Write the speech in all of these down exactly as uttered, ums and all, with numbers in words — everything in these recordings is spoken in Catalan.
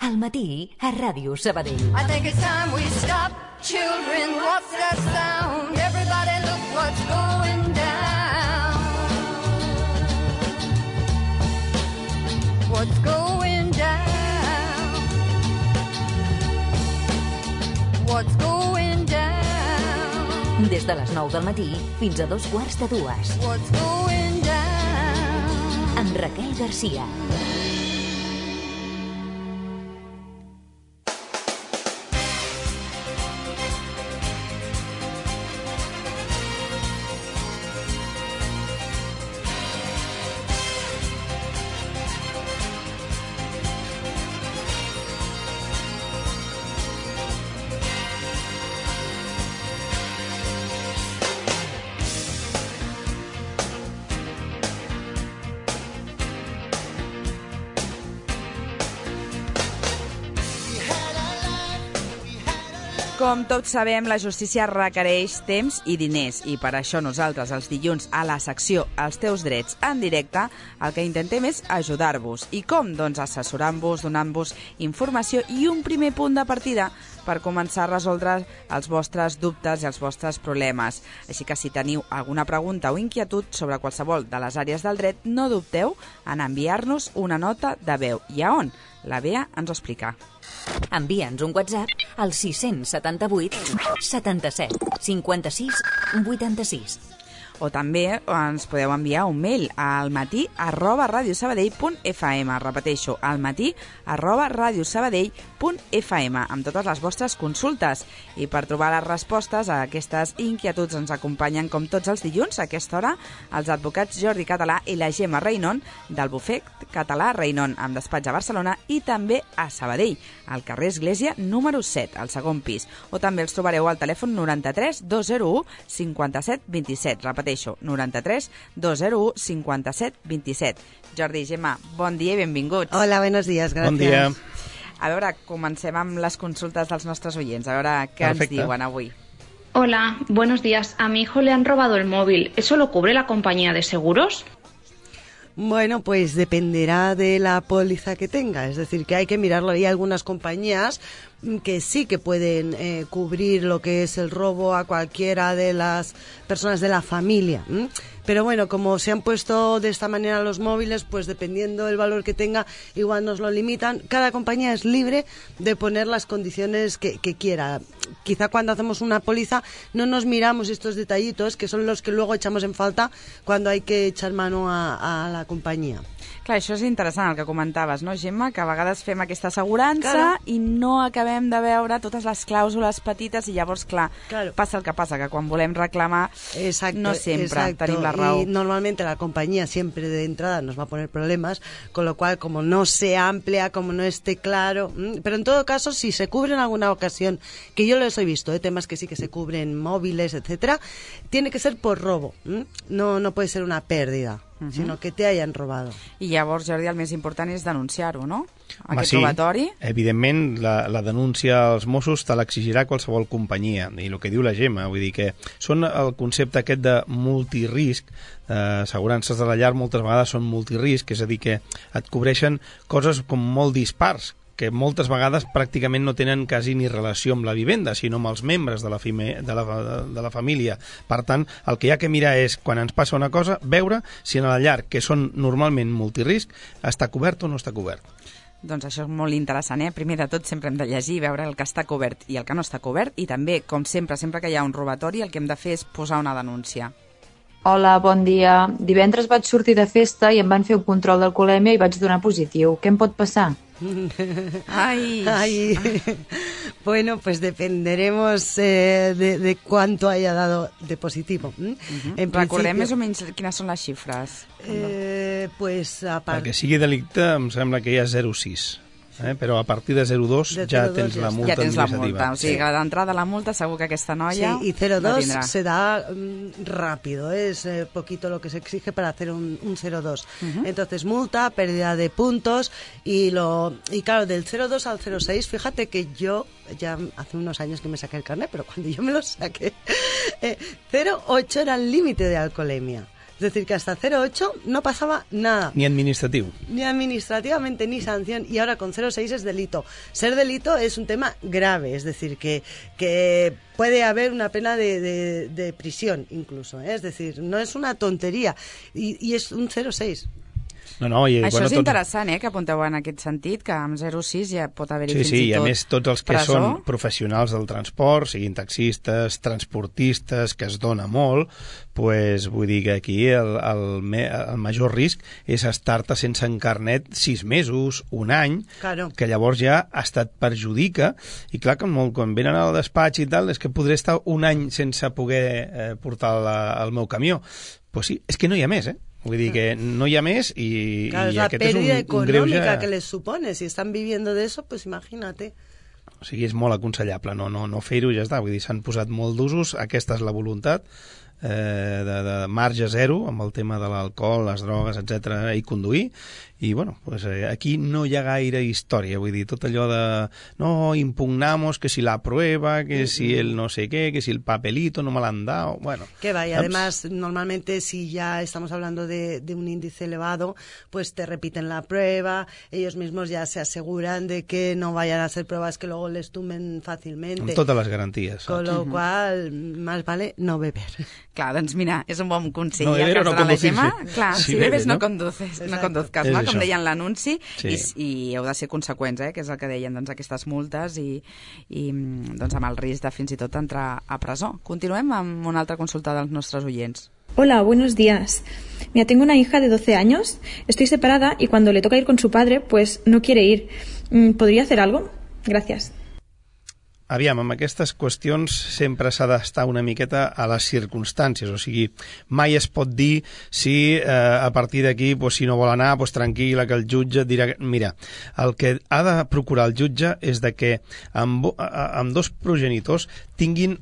Al matí, a Ràdio Sabadell. I think it's time we stop. Children, what's that sound? Everybody look what's going down. What's going down? What's going down? Des de les nou del matí fins a dos quarts de dues. What's going down? Amb Raquel Garcia. Com tots sabem, la justícia requereix temps i diners i per això nosaltres els dilluns a la secció Els teus drets en directe el que intentem és ajudar-vos. I com? Doncs assessorant-vos, donant-vos informació i un primer punt de partida per començar a resoldre els vostres dubtes i els vostres problemes. Així que si teniu alguna pregunta o inquietud sobre qualsevol de les àrees del dret, no dubteu en enviar-nos una nota de veu. I a on? La Bea ens ho explica. Envia'ns un WhatsApp al sis setanta-vuit setanta-set cinquanta-sis vuitanta-sis. O també ens podeu enviar un mail al matí arroba radiosabadell punt fm. Repeteixo, al matí arroba radiosabadell punt fm amb totes les vostres consultes. I per trobar les respostes a aquestes inquietuds ens acompanyen com tots els dilluns a aquesta hora els advocats Jordi Català i la Gemma Reinon del bufet català Reinon amb despatx a Barcelona i també a Sabadell, al carrer Església número set, al segon pis. O també els trobareu al telèfon noranta-tres dos zero u cinquanta-set vint-i-set. Repeteixo, noranta-tres dos zero u cinquanta-set vint-i-set. Jordi i Gemma, bon dia i benvinguts. Hola, buenos días, gracias. Bon dia. A veure, comencem amb les consultes dels nostres oients. A veure què Perfecte. ens diuen avui. Hola, buenos días. A mi hijo le han robado el móvil. ¿Eso lo cubre la compañía de seguros? Bueno, pues dependerá de la póliza que tenga, es decir, que hay que mirarlo. Hay algunas compañías que sí que pueden eh, cubrir lo que es el robo a cualquiera de las personas de la familia. ¿m? Pero bueno, como se han puesto de esta manera los móviles, pues dependiendo del valor que tenga, igual nos lo limitan. Cada compañía es libre de poner las condiciones que, que quiera. Quizá cuando hacemos una póliza no nos miramos estos detallitos, que son los que luego echamos en falta cuando hay que echar mano a, a la compañía. Clar, això és interessant el que comentaves, no, Gemma? Que a vegades fem aquesta assegurança Claro. i no acabem de veure totes les clàusules petites i llavors, clar, Claro. passa el que passa, que quan volem reclamar Exacto, no sempre exacto. tenim la raó. Y normalmente la compañía siempre de entrada nos va a poner problemas, con lo cual como no sea amplia, como no esté claro, ¿m? Pero en todo caso, si se cubre en alguna ocasión, que yo los he visto, ¿eh? Temas que sí que se cubren móviles, etcétera, tiene que ser por robo, ¿m? no no puede ser una pérdida, uh-huh. sino que te hayan robado. I llavors, Jordi, el més important és denunciar-ho, no? Home, Aquest sí, robatori. evidentment la, la denúncia als Mossos te l'exigirà qualsevol companyia, i el que diu la Gemma, vull dir que són el concepte aquest de multirisc, eh, assegurances de la llar moltes vegades són multirisc, és a dir que et cobreixen coses com molt dispars, que moltes vegades pràcticament no tenen quasi ni relació amb la vivenda, sinó amb els membres de la, fime, de la, de la família. Per tant, el que hi ha que mirar és, quan ens passa una cosa, veure si en la llar, que són normalment multirisc, està cobert o no està cobert. Doncs això és molt interessant, eh? Primer de tot sempre hem de llegir, veure el que està cobert i el que no està cobert, i també, com sempre, sempre que hi ha un robatori, el que hem de fer és posar una denúncia. Hola, bon dia. Divendres vaig sortir de festa i em van fer un control d'alcoholèmia i vaig donar positiu. Què em pot passar? Ay. Ay. Bueno, pues dependeremos eh, de, de cuánto haya dado de positivo. ¿m? Uh-huh. En Recordem principio, més o menys quines són les xifres. eh, pues a part... Perquè sigui delicte em sembla que hi ha zero coma sis. Eh? Però a partir de zero coma dos De ja zero coma dos tens la ja multa Ja tens la administrativa. multa, o sigui que d'entrada la multa segur que aquesta noia Sí, y cero la coma dos tindrà. se da mm, rápido, es eh, poquito lo que se exige para hacer un, un cero coma dos. Uh-huh. Entonces, multa, pérdida de puntos y lo y claro, del cero coma dos al cero coma seis, fíjate que yo ya hace unos años que me saqué el carnet, pero cuando yo me lo saqué, eh, cero coma ocho era el límite de alcoholemia. Es decir, que hasta cero coma ocho no pasaba nada. Ni administratiu. Ni administrativamente, ni sanción. Y ahora con cero coma seis es delito. Ser delito es un tema grave, es decir, que, que puede haber una pena de, de, de prisión incluso, ¿eh? Es decir, no es una tontería. Y, y es un cero coma seis. No, no, i, Això bueno, és tots... interessant, eh, que apunteu en aquest sentit, que amb zero coma sis ja pot haver-hi Sí, fins sí, i i a tot més tots els que presó. són professionals del transport, siguin taxistes, transportistes, que es dona molt, pues, vull dir que aquí el, el, me- el major risc és estar-te sense en carnet sis mesos, un any, Claro. que llavors ja hasta et perjudica, i clar que molt, quan venen al despatx i tal, és que podré estar un any sense poder eh, portar la, el meu camió. Pues sí, és que no hi ha més, eh? Vull dir que no hi ha més i, Claro, i es la aquest és un, pérdida un económica greuge... que les supone. Si están viviendo de eso, pues imagínate. O sigui, és molt aconsellable no, no, no fer-ho, ja està. Vull dir, s'han posat molt d'usos, aquesta és la voluntat, eh, de, de marge zero amb el tema de l'alcohol, les drogues, etcètera, i conduir, i bueno, pues, eh, aquí no hi ha gaire història, vull dir, tot allò de no, impugnamos que si la prueba, que si el no sé qué, que si el papelito no me l'han dado, bueno. Que va, y saps? además, normalmente si ya estamos hablando de, de un índice elevado, pues te repiten la prueba, ellos mismos ya se aseguran de que no vayan a hacer pruebas que luego les tumben fácilmente. Amb totes les garanties. Con Saps? lo cual, más vale no beber. Clar, doncs mira, és un bon consell. No el beber que o no ens dona la conducir, Gemma. sí. Clar, Si si bebes, bebes no no? conduces, no Exacte. conduzcas, És no? això. Com deien l'anunci, Sí. i, i heu de ser conseqüents, eh? Que és el que deien, doncs, aquestes multes i, i doncs, amb el risc de fins i tot entrar a presó. Continuem amb una altra consulta dels nostres oients. Hola, buenos días. Mira, tengo una hija de doce años, estoy separada y cuando le toca ir con su padre, pues no quiere ir. Mm, ¿Podría hacer algo? Gracias. Aviam, amb aquestes qüestions sempre s'ha d'estar una miqueta a les circumstàncies, o sigui, mai es pot dir si eh, a partir d'aquí, pues, si no vol anar, pues, tranquil·la, que el jutge et dirà... Mira, el que ha de procurar el jutge és de que amb, amb dos progenitors tinguin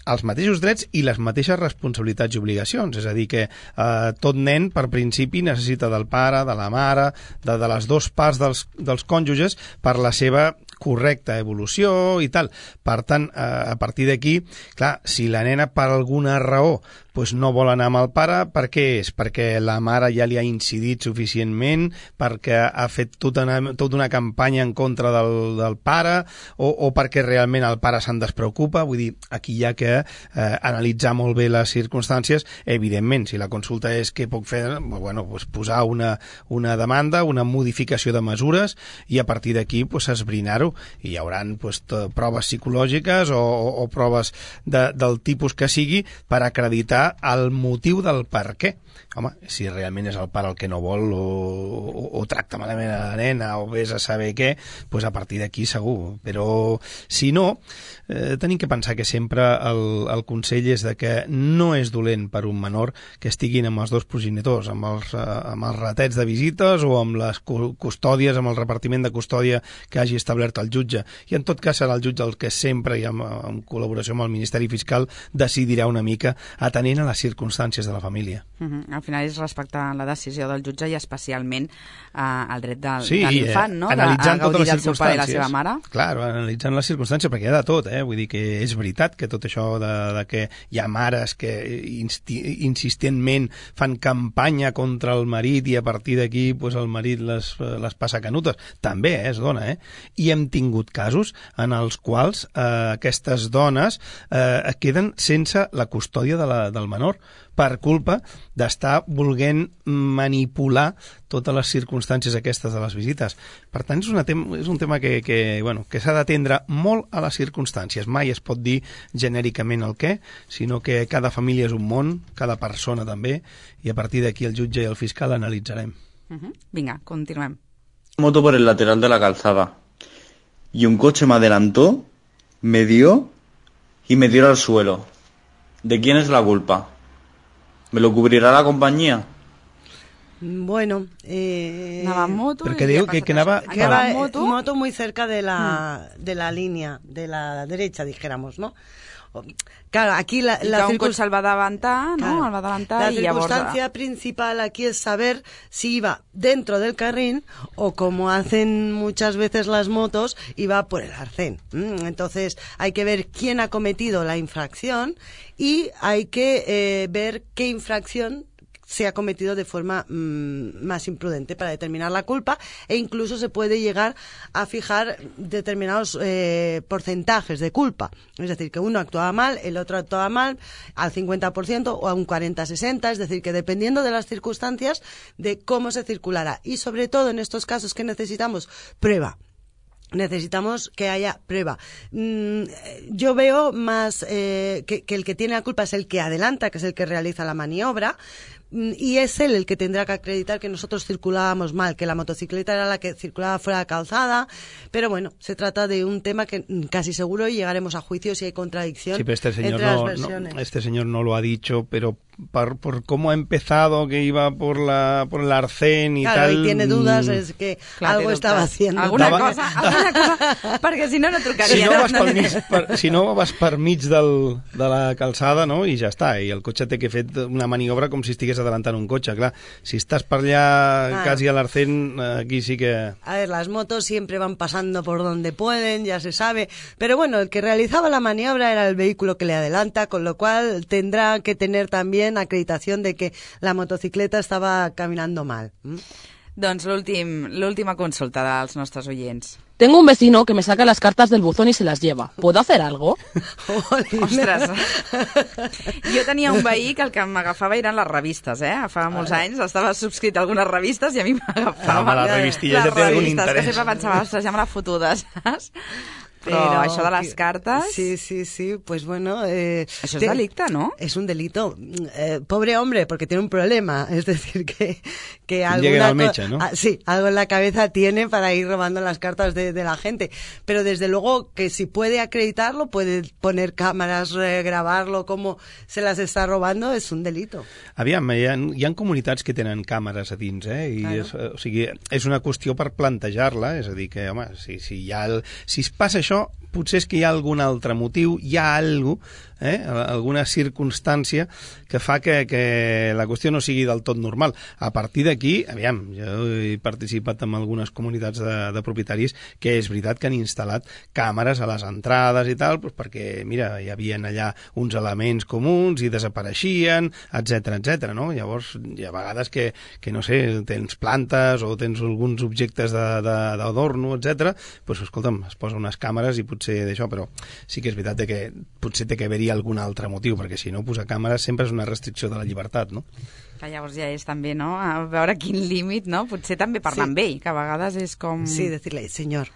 els mateixos drets i les mateixes responsabilitats i obligacions. És a dir, que eh, tot nen, per principi, necessita del pare, de la mare, de, de les dues parts dels, dels cònjuges per la seva correcta evolució i tal. Per tant, eh, a partir d'aquí, clar, si la nena per alguna raó pues no vol anar amb el pare, per què és? Perquè la mare ja li ha incidit suficientment, perquè ha fet tota una, tota una campanya en contra del, del pare, o, o perquè realment el pare se'n despreocupa. Vull dir, aquí hi ha que eh, analitzar molt bé les circumstàncies. Evidentment, si la consulta és què puc fer, bueno, pues posar una, una demanda, una modificació de mesures, i a partir d'aquí pues, esbrinar-ho. I hi haurà pues, proves psicològiques o, o, o proves de, del tipus que sigui per acreditar el motiu del per què. Home, si realment és el pare el que no vol o, o, o tracta malament a la nena o vés a saber què, pues a partir d'aquí segur. Però si no, eh, tenim que pensar que sempre el, el consell és de que no és dolent per un menor que estiguin amb els dos progenitors, amb els, eh, amb els ratets de visites o amb les custòdies, amb el repartiment de custòdia que hagi establert el jutge. I en tot cas serà el jutge el que sempre, i en, en col·laboració amb el Ministeri Fiscal, decidirà una mica atenent a les circumstàncies de la família. Uh -huh. Al final és respectar la decisió del jutge i especialment eh, el dret del, sí, de l'infant, no? Analitzant de, a totes les del seu pare i la circumstàncies. seva mare. Clar, analitzant les circumstàncies, perquè hi ha de tot, eh? Vull dir que és veritat que tot això de, de que hi ha mares que insti insistentment fan campanya contra el marit i a partir d'aquí pues, el marit les, les passa canutes. També eh, es dona, eh? I hem tingut casos en els quals eh, aquestes dones eh, queden sense la custòdia de la, del menor per culpa d'estar volent manipular totes les circumstàncies aquestes de les visites. Per tant, és, una tem és un tema que, que, bueno, que s'ha d'atendre molt a les circumstàncies. Mai es pot dir genèricament el què, sinó que cada família és un món, cada persona també, i a partir d'aquí el jutge i el fiscal analitzarem. Uh -huh. Vinga, continuem. Moto por el lateral de la calzada y un coche me adelantó, me dio y me tiró al suelo. ¿De quién es la culpa? ¿Me lo cubrirá la compañía? Bueno, eh, anava en moto Perquè i diu ja que, passa que anava... això. que Anava va en moto, moto muy cerca de la, mm. de la línea, de la derecha, dijéramos, ¿no? Claro, aquí la, i la que un cotxe el va davantar, no? Claro. El va davantar La i llavors... circunstancia principal aquí es saber si iba dentro del carril o, como hacen muchas veces las motos, iba por el arcén. Entonces hay que ver quién ha cometido la infracción y hay que eh, ver qué infracción se ha cometido de forma mmm, más imprudente para determinar la culpa, e incluso se puede llegar a fijar determinados eh, porcentajes de culpa. Es decir, que uno actuaba mal, el otro actuaba mal al cincuenta por ciento o a un cuarenta a sesenta, es decir, que dependiendo de las circunstancias de cómo se circulará. Y sobre todo en estos casos que necesitamos prueba. Necesitamos que haya prueba. Mm, yo veo más eh, que, que el que tiene la culpa es el que adelanta, que es el que realiza la maniobra, mm, y es él el que tendrá que acreditar que nosotros circulábamos mal, que la motocicleta era la que circulaba fuera de calzada. Pero bueno, se trata de un tema que mm, casi seguro llegaremos a juicio si hay contradicción sí, pero este señor entre no, las versiones. No, este señor no lo ha dicho, pero por, por cómo ha empezado, que iba por la por el arcén y claro, tal... Claro, y tiene dudas, es que Clar, algo estaba haciendo. Alguna Dava... cosa, alguna cosa, perquè si no, no trucaria. Si no vas per mig, per, si no vas per mig del, de la calçada, no?, i ja està, i el cotxe té que fer una maniobra com si estigués adelantant un cotxe, clar. Si estàs per allà ah. quasi a l'arcén, aquí sí que... A ver, las motos siempre van pasando por donde pueden, ya se sabe, pero bueno, el que realizaba la maniobra era el vehículo que le adelanta, con lo cual tendrá que tener también acreditación de que la motocicleta estaba caminando mal. ¿Mm? Doncs l'últim, l'última consulta dels nostres oyents. Tengo un vecino que me saca las cartas del buzón y se las lleva. ¿Puedo hacer algo? Ostres. Jo tenia un veí que el que m'agafava eren les revistes, eh? Fa molts anys estava subscrit a algunes revistes i a mi m'agafava Home, les revistilles ja té algun interès. Que sempre pensava, ostres, ja me la fotuda, saps? Però, Però això de les cartes... Sí, sí, sí, pues bueno... Eh, això és te... delicte, ¿no? Es un delito. Eh, pobre hombre, porque tiene un problema. Es decir, que, que Llegue alguna... al mecha, ¿no? Ah, sí, algo en la cabeza tiene para ir robando las cartas de, de la gente. Pero desde luego que si puede acreditarlo, puede poner cámaras, eh, grabarlo, cómo se las está robando, es un delito. Aviam, hi ha, hi ha comunitats que tenen càmeres a dins, eh? I claro. és, o sigui, és una qüestió per plantejar-la, és a dir, que, home, si, si, hi ha el, si es passa això, potser és que hi ha algun altre motiu, hi ha alguna cosa, eh? alguna circumstància que fa que, que la qüestió no sigui del tot normal. A partir d'aquí, aviam, jo he participat en algunes comunitats de, de propietaris que és veritat que han instal·lat càmeres a les entrades i tal, doncs perquè, mira, hi havia allà uns elements comuns i desapareixien, etcètera, etcètera, no? Llavors, hi ha vegades que, que no sé, tens plantes o tens alguns objectes d'adorno, etcètera, doncs, escolta'm, es posa unes càmeres i potser d'això, però sí que és veritat que potser té que haver-hi algun altre motiu, perquè si no, posar càmeres sempre és una restricció de la llibertat, no? Que llavors ja és també, no?, a veure quin límit, no? Potser també parlar sí. amb ell, que a vegades és com... Sí, decirle, senyor...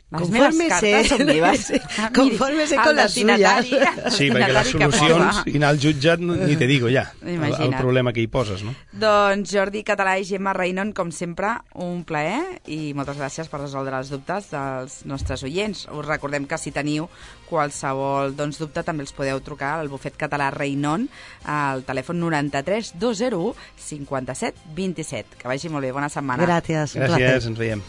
Les meves cartes són meves. Confórmese con las suyas. Sí, perquè les solucions i anar al jutjat ni te digo ja, el, el problema que hi poses, no? Doncs Jordi Català i Gemma Reinon, com sempre, un plaer i moltes gràcies per resoldre els dubtes dels nostres oients. Us recordem que si teniu qualsevol doncs, dubte també els podeu trucar al bufet català Reinon al telèfon noranta-tres dos zero u cinquanta-set vint-i-set. Que vagi molt bé, bona setmana. Gràcies, un Gràcies, ens veiem.